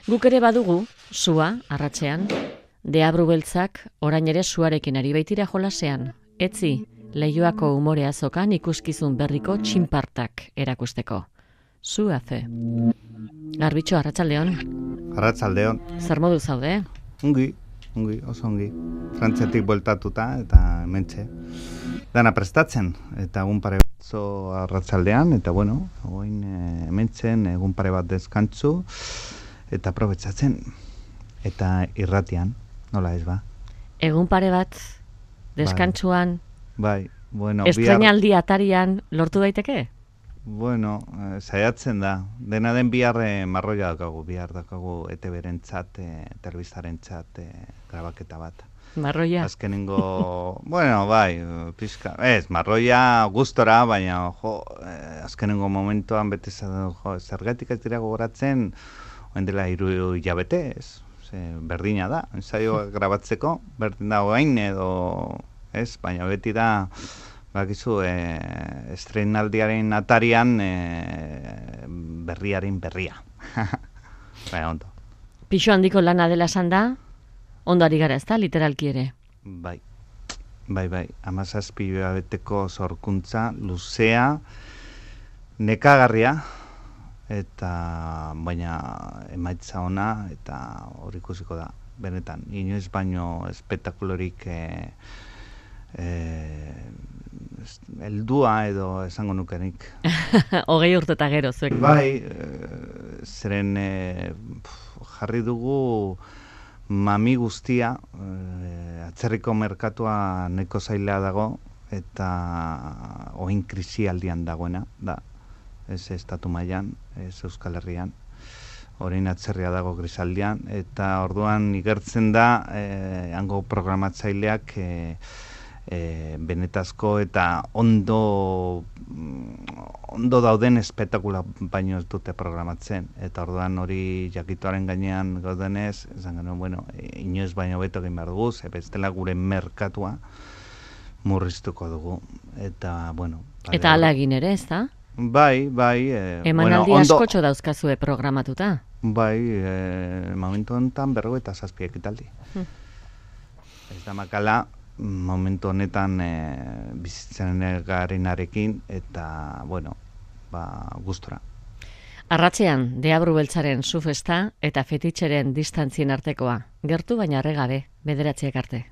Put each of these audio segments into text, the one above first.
Guk ere badugu, sua, arratsean, Deabru beltzak orain ere suarekin ari baitira jolasean. Etzi, Leioako umore azokan ikuskizun berriko txinpartak erakusteko. Zu hace. Garbitxo, arratsaldeon. Arratsaldeon. Zer modu zaude? Ongi, oso ongi. Frantziatik bueltatuta eta hementxe. Dana prestatzen, eta egun pare batzo arratsaldean, eta bueno, oin hementzen egun pare bat deskantzu, eta aprobetxatzen, eta irratian, nola ez ba? Egun pare bat deskantzuan, bai, bueno, estreinaldi atarian lortu daiteke? Bueno, saiatzen da. Dena den bihar marroia dakagu, bihar dakagu ETB-rentzat, telebistaren-txat, grabaketa bat. Marroia? Azkenengo, bueno, bai, pizka, ez, marroia gustora, baina, azkenengo momentuan bete zergatik ez dira gogoratzen, oen dela 3 hilabete, ez, berdina da, ensaio grabatzeko, berdin da oain edo, ez, baina beti da, bakizu, estreinaldiaren atarian berriaren berria. Baina, ondo. Pixo handiko lana dela esan da, ondo ari gara ez da, literalki ere. Bai, 17 hilabeteko zorkuntza, luzea, nekagarria, eta baina emaitza ona, eta hor ikusiko da, benetan, inoiz baino espetakulorik heldua edo esango nukenik. 20 urte eta gero, zuek. Bai, zeren jarri dugu mami guztia, atzerriko merkatua neko zailea dago, eta oin krisi aldian dagoena, da, ez estatu mailan, ez Euskal Herrian, orain atzerria dago krisaldian, eta orduan igertzen da, hango programatzaileak benetazko eta ondo dauden espektakula baino ez dute programatzen, eta orduan hori jakituaren gainean gaudenez, esan genuen, bueno, inoiz baino beto egin behar dugu, bestela gure merkatua murriztuko dugu, eta bueno. Eta hala egin ere, ez da? Bai. Emanaldi askotxo dauzkazue programatuta? Bai, momentu honetan 57 ekitaldi. Ez da makala, momentu honetan bizitzen garenarekin, eta, bueno, gustora. Arratsean, Deabru beltzaren zu festa eta fetitxeren distantzien artekoa. Gertu baina arregabe, 9 arte.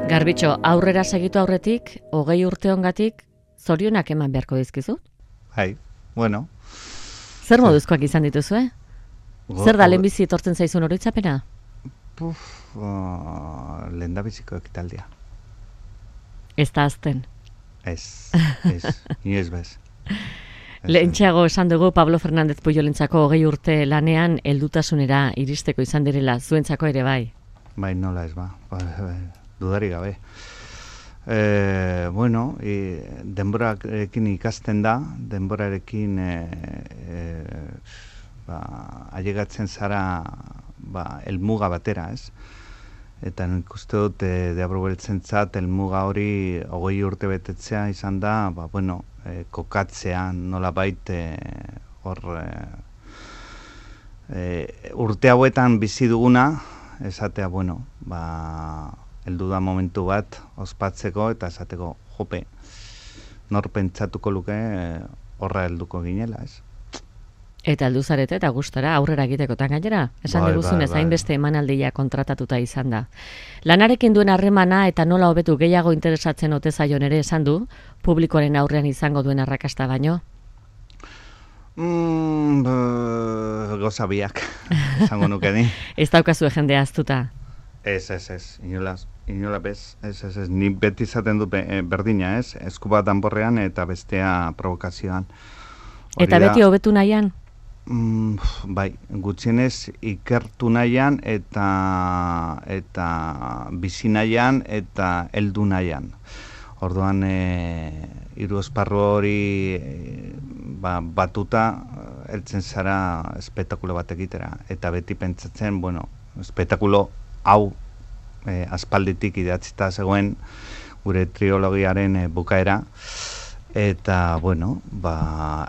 Garbitxo, aurrera segitu aurretik, 20 urte ongatik, zorionak eman beharko dizkizu? Bai, bueno. Zer moduzkoak izan dituzue? Zer da lehenbizi etortzen zaizun oroitzapena? Lehendabiziko ekitaldia. Ez da azten? Ez, inoiz bez. Lehentxeago esan dugu Pablo Fernández Pujolentzako 20 urte lanean heldutasunera iristeko izan direla, zuentzako ere bai? Bai, nola ez ba. Dudari gabe. Bueno, denborarekin ikusten da, denborarekin ailegatzen zara helmuga batera, ez? Eta nik uste dut Deabru beltzentzat helmuga hori 20 urte betetzea izan da, bueno, kokatzea nolabait hor urte hauetan bizi duguna, esatea, bueno, heldu da momentu bat ospatzeko eta esateko jope, nor pentsatuko luke horra helduko ginela, ez? Eta heldu zarete eta gustora aurrera egitekotan gainera. Esan diguzunez, hainbeste emanaldia kontratatuta izan da. Lanarekin duen harremana eta nola hobetu gehiago interesatzen ote zaion ere esan du, publikoaren aurrean izango duen arrakasta baino. Gauza biak, esango nuke ni. Ez daukazue jendea aztuta. Ez, inola bez, ni beti izaten du berdina, ez? Esku bat danborrean eta bestea provokazioan. Eta beti hobetu nahian? Bai, gutxienez ikertu nahian eta bizi nahian eta heldu nahian. Orduan, hiru esparru hori batuta heltzen zara espektakulo bat egitera. Eta beti pentsatzen, espektakulo hau aspalditik idatzita zegoen gure trilogiaren bukaera. Eta,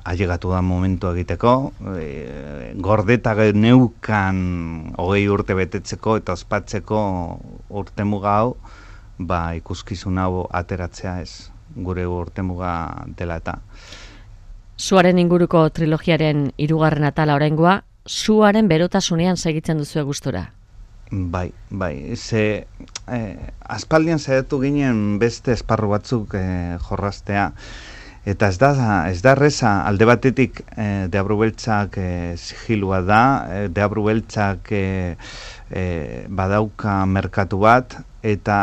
ailegatu da momentu egiteko, gordeta neukan 20 urte betetzeko eta ospatzeko urtemuga hau, ikuskizun hau ateratzea ez, gure urtemuga dela eta. Suaren inguruko trilogiaren 3. atala oraingoa, suaren berotasunean segitzen duzu gustura. Bai, aspaldian saiatu ginen beste esparru batzuk jorrastea. Eta ez da erreza, alde batetik Deabru Beltzak sigilua da, Deabru Beltzak badauka merkatu bat, eta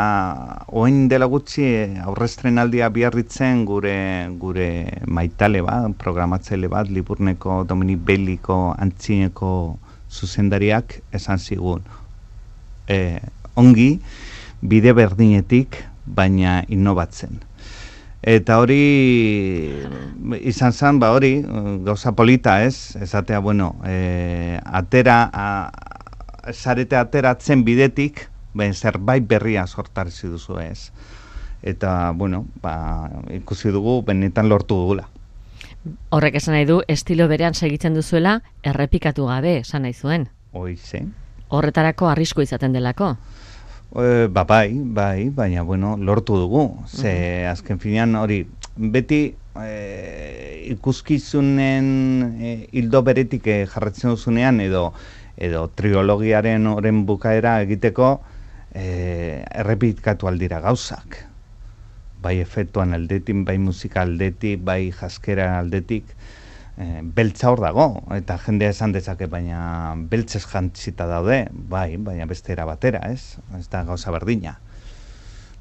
orain dela gutxi aurrestrenaldia biarritzen gure maitale bat, programatzaile bat, Liburneko Dominik Belliko antzineko zuzendariak esan zigun. Ongi, bide berdinetik, baina innobatzen. Eta hori izan zen, gauza polita ez, esatea, zarete ateratzen bidetik, zerbait berria sortarzi duzu ez. Eta, ikusi dugu, benetan lortu dugula. Horrek esan nahi du, estilo berean segitzen duzuela, errepikatu gabe, esan nahi zuen. Hoize. Horretarako arrisku izaten delako. Bai, baina, lortu dugu. Ze, azken finean, hori, beti ikuskizunen hildo beretik jarratzen duzunean, edo trilogiaren oren bukaera egiteko, errepikatu aldira gauzak. Bai efektuan aldetik, bai musika aldetik, bai jaskera aldetik, beltza hor dago, eta jendea esan dezake, baina beltzez jantzita daude, baina beste era batera, ez da gauza berdina.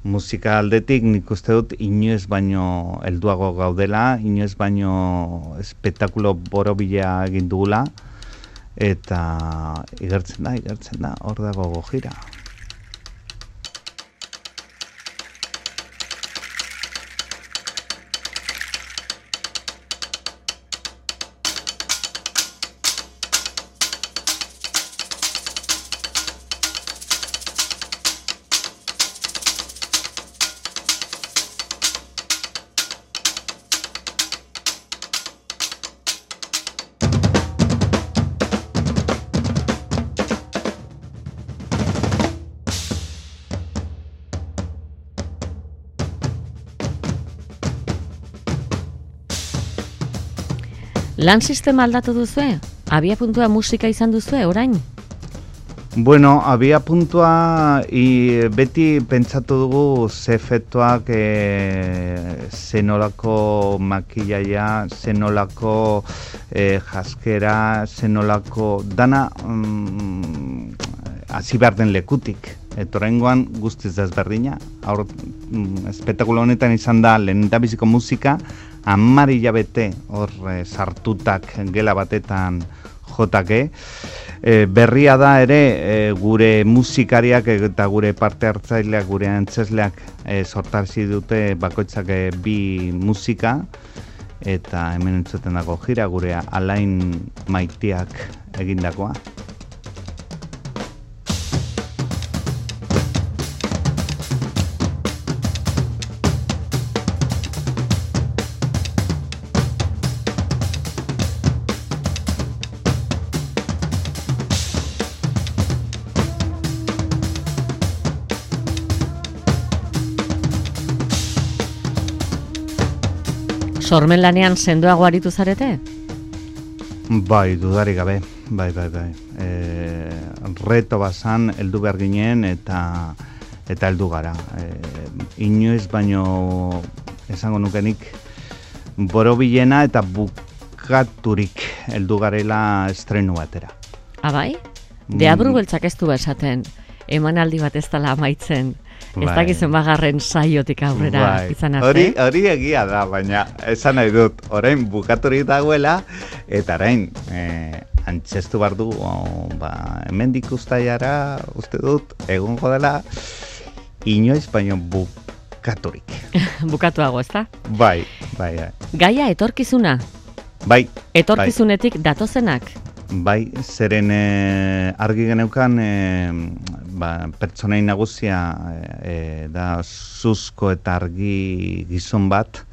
Musika aldetik nik uste dut inoiz baino helduago gaudela, inoiz baino espektakulo borobila egin dugula, eta igertzen da, hor dago gojira. Lan sistema aldatu duzue? Abia puntua musika izan duzue, orain? Abia puntua beti pentsatu dugu ze efektuak, zenolako makillaia, zenolako jaskera, zenolako dana hasi behar den lekutik. Eta oraingoan guztiz desberdina. Espektakulo honetan izan da lehendabiziko musika, 10 hilabete hor sartutak gela batetan jotake. Berria da ere gure musikariak eta gure parte hartzaileak, gure antzesleak sortarzi dute bakoitzak 2 musika, eta hemen entzuten dago jira gure Alain Maitiak egindakoa. Sormen lanean sendoago aritu zarete? Bai, dudarik gabe, bai. Reto bazan, heldu behar ginen eta heldu gara. Inoiz baino esango nukenik borobilena eta bukaturik heldu garela estrenu batera. Bai? Deabru beltzak ez du esaten, emanaldi bat ez dela amaitzen. Ez dakizu magarren saiotik aurrera izan arte. Hori egia da, baina esan nahi dut, orain bukaturik dagoela, eta orain antzestu behar du, hemendik uztailara, uste dut, egongo dela, inoiz baino bukaturik. Bukatuago, ez da? Bai. Gaia etorkizuna? Bai. Etorkizunetik datozenak? Bai, zeren argi geneukan pertsonai nagusia da suzko eta argi gizon bat,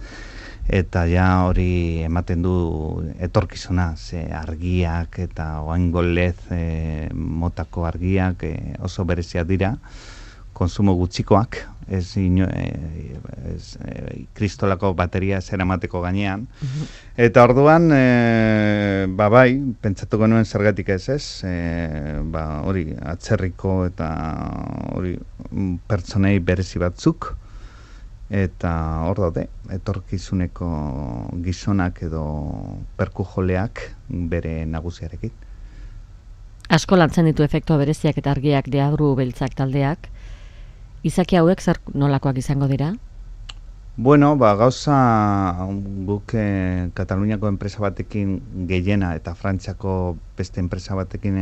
eta ja hori ematen du etorkizuna, ze argiak eta oaingo lez motako argiak oso bereziak dira, konsumo gutxikoak, ez kristolako bateria ez eramateko gainean. Eta orduan, bai, pentsatuko nuen zergatik ez, hori atzerriko eta hori pertsonei berezi batzuk, eta hor daude, etorkizuneko gizonak edo perkujoleak bere nagusiarekin. Asko lantzen ditu efektua bereziak eta argiak Deabru beltzak taldeak. Izaki hauek zer nolakoak izango dira? Bueno, gauza guk Kataluniako enpresa batekin gehiena eta Frantziako beste enpresa batekin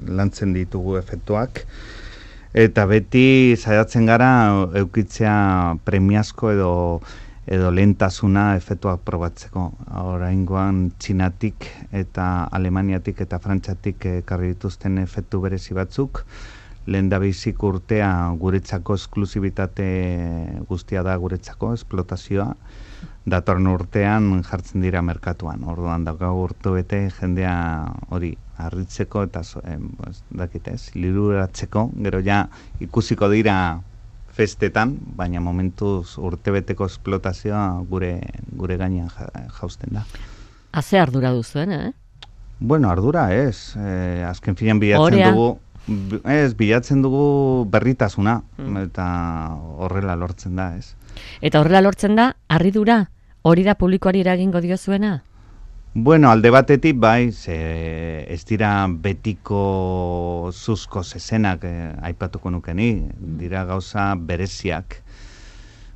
lantzen ditugu efektuak. Eta beti saiatzen gara eukitzea premiazko edo lehentasuna efektuak probatzeko. Oraingoan Txinatik eta Alemaniatik eta Frantziatik ekarri dituzten efektu berezi batzuk. Lehendabizik urtea guretzako esklusibitate guztia da guretzako, esplotazioa. Datorren urtean jartzen dira merkatuan. Orduan daukagu urte bete jendea hori harritzeko eta liruratzeko. Gero ja ikusiko dira festetan, baina momentuz urtebeteko esplotazioa gure gainean jausten da. Haze ardura duzuen, Bueno, ardura ez. Azken finean bilatzen dugu berritasuna, eta horrela lortzen da, ez? Eta horrela lortzen da, harridura, hori da publikoari eragingo diozuena? Bueno, alde batetik bai, ez dira betiko zuzko zezenak aipatuko nukeni, dira gauza bereziak.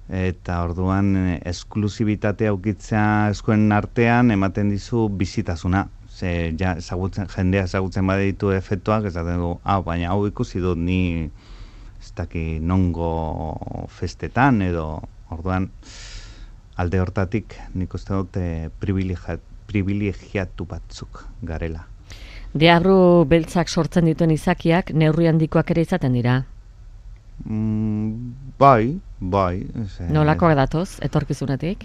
Eta orduan esklusibitatea aukitzea eskuen artean ematen dizu bizitasuna. Jendea ezagutzen baditu efektuak, esaten du, baina hau ikusi dut ni ez daki nongo festetan, edo orduan alde hortatik nik uste dut privilegiatu batzuk garela. Deabru beltzak sortzen dituen izakiak neurri handikoak ere izaten dira? Bai. Nolakoak datoz, etorkizunetik?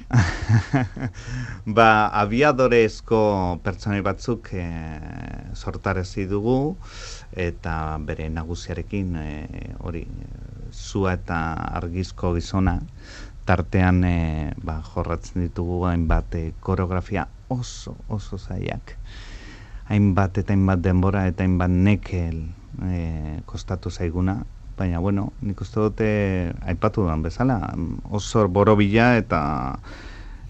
Abiadorezko pertsonai batzuk sortarezi dugu, eta bere nagusiarekin hori sua eta argizko gizona, tartean jorratzen ditugu hainbat koreografia oso zailak. Hainbat eta hainbat denbora eta hainbat nekel kostatu zaiguna. Baina, bueno, nik uste dute aipatu duan bezala, oso borobila eta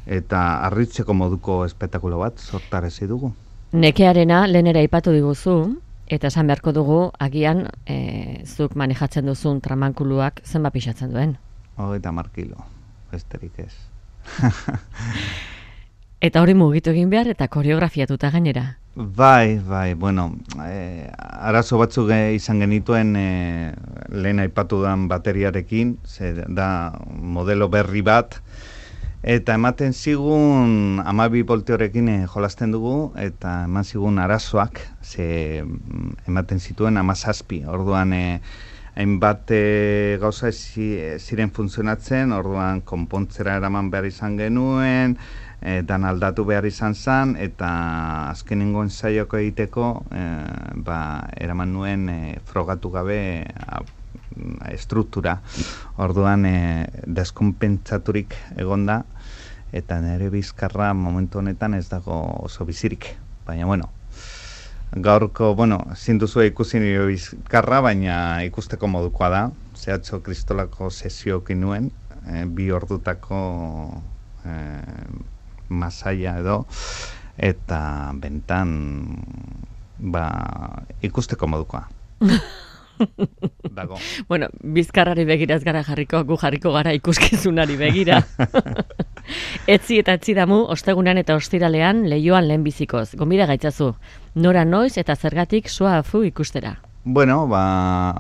harritzeko moduko espetakulo bat sortarezi dugu. Nekearena lehenera aipatu diguzu, eta esan beharko dugu, agian zuk manejatzen duzun tramankuluak zenbat pixatzen duen? 30 kilo, besterik ez. Eta hori mugitu egin behar eta koreografiatuta gainera? Bai, bueno, arazo batzuk izan genituen lehen aipatu den bateriarekin, da modelo berri bat, eta ematen zigun 12 volteorekin jolasten dugu, eta eman zigun arazoak, ematen zituen 17, orduan hainbat gauza ziren funtzionatzen, orduan konpontzera eraman behar izan genuen, dan aldatu behar izan zen, eta azkenengo ensaioko egiteko eraman nuen frogatu gabe estruktura. Orduan deskonpentsaturik egonda, eta nire bizkarra momentu honetan ez dago oso bizirik. baina, bueno, gaurko, ezin duzu ikusi nire bizkarra, baina ikusteko modukoa da, zehatxo kristolako sesiokin nuen, 2 ordutako masaia edo, eta bentan, ikusteko modukoa. Dago. Bueno, bizkarrari begiraz gara gu jarriko gara ikuskizunari begira. Etzi eta etzi damu, ostegunean eta ostiralean Leioan lehenbizikoz. Gonbida gaitzazu, nora noiz eta zergatik sua afu ikustera? Bueno,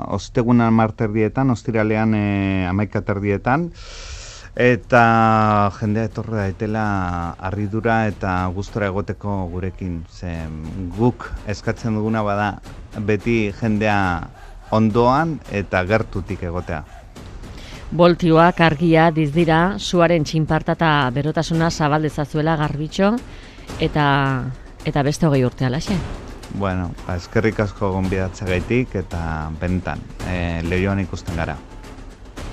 ostegunan marterdietan, ostiralean 11:00 eta jendea etorri daitela harridura eta gustora egoteko gurekin. Guk eskatzen duguna bada beti jendea ondoan eta gertutik egotea. Boltioak argia dizdira, suaren txinparta eta berotasuna zabaldezazuela garbitxo eta beste 20 urte alaxe. Bueno, eskerrik asko gonbidatzegaitik eta bentan, Leioan ikusten gara.